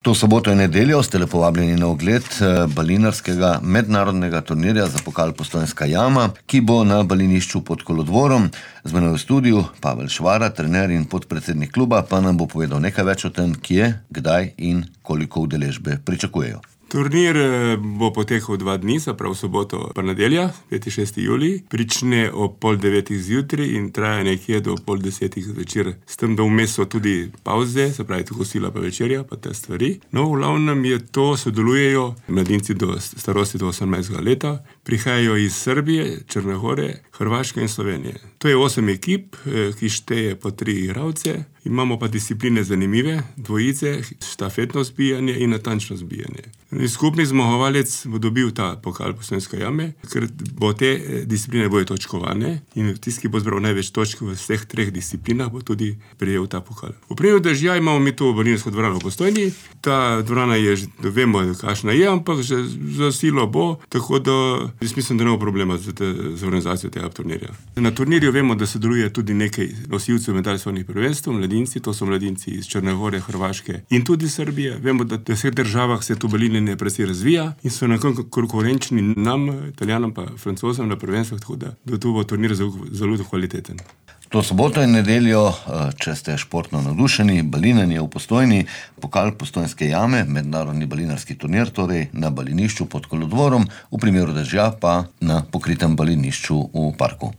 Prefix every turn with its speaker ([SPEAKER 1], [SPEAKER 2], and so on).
[SPEAKER 1] To soboto in nedeljo ste lepo vabljeni na ogled balinarskega mednarodnega turnirja za pokal Postojnska jama, ki bo na balinišču pod Kolodvorom. Z menoj v studiu Pavel Švara, trener in podpredsednik kluba, pa nam bo povedal nekaj več o tem, kje, kdaj in koliko udeležbe pričakujejo.
[SPEAKER 2] Turnir bo potekal 2 dni, se pravi soboto pa nedelja, 5. in 6. julij. Prične ob 8:30 zjutraj in traja nekje do 9:30 zvečer. S tem, da vmes so tudi pavze, se pravi kosila pa večerja, pa te stvari. No, v glavnem je to, sodelujejo mladinci do starosti do 18 leta. Prihajajo iz Srbije, Črne gore, Hrvaške in Slovenije. To je 8 ekip, ki šteje po 3 igralce. Imamo pa discipline zanimive, dvojice, štafetno zbijanje in natančno zbijanje. Skupni zmagovalec bo dobil ta pokal Postojnske jame, ker bo te discipline bojo točkovane in tisti, ki bo zbral največ točk v vseh 3 disciplinah, bo tudi prejel ta pokal. V primeru dežja imamo mi to balinarsko dvorano v Postojni. Ta dvorana je, vemo, kakšna je, ampak že za silo bo, tako da jaz mislim, da ne bo problema z organizacijo tega turnirja. Na turnirju vemo, da sodeluje tudi nekaj nosilcev medalj svetovnih prvenstev, mladinci, to so mladinci iz Črne gore, Hrvaške in tudi Srbije. Vemo, da v vseh državah se to balinjenje precej razvija in so nekako konkurenčni nam, Italijanom pa Francozom na prvenstvih, tako da to bo turnir zelo kvaliteten.
[SPEAKER 1] To soboto in nedeljo, če ste športno navdušeni, balinanje v Postojni, pokal Postojnske jame, mednarodni balinarski turnir, torej na balinišču pod Kolodvorom, v primeru dežja pa na pokritem balinišču v parku.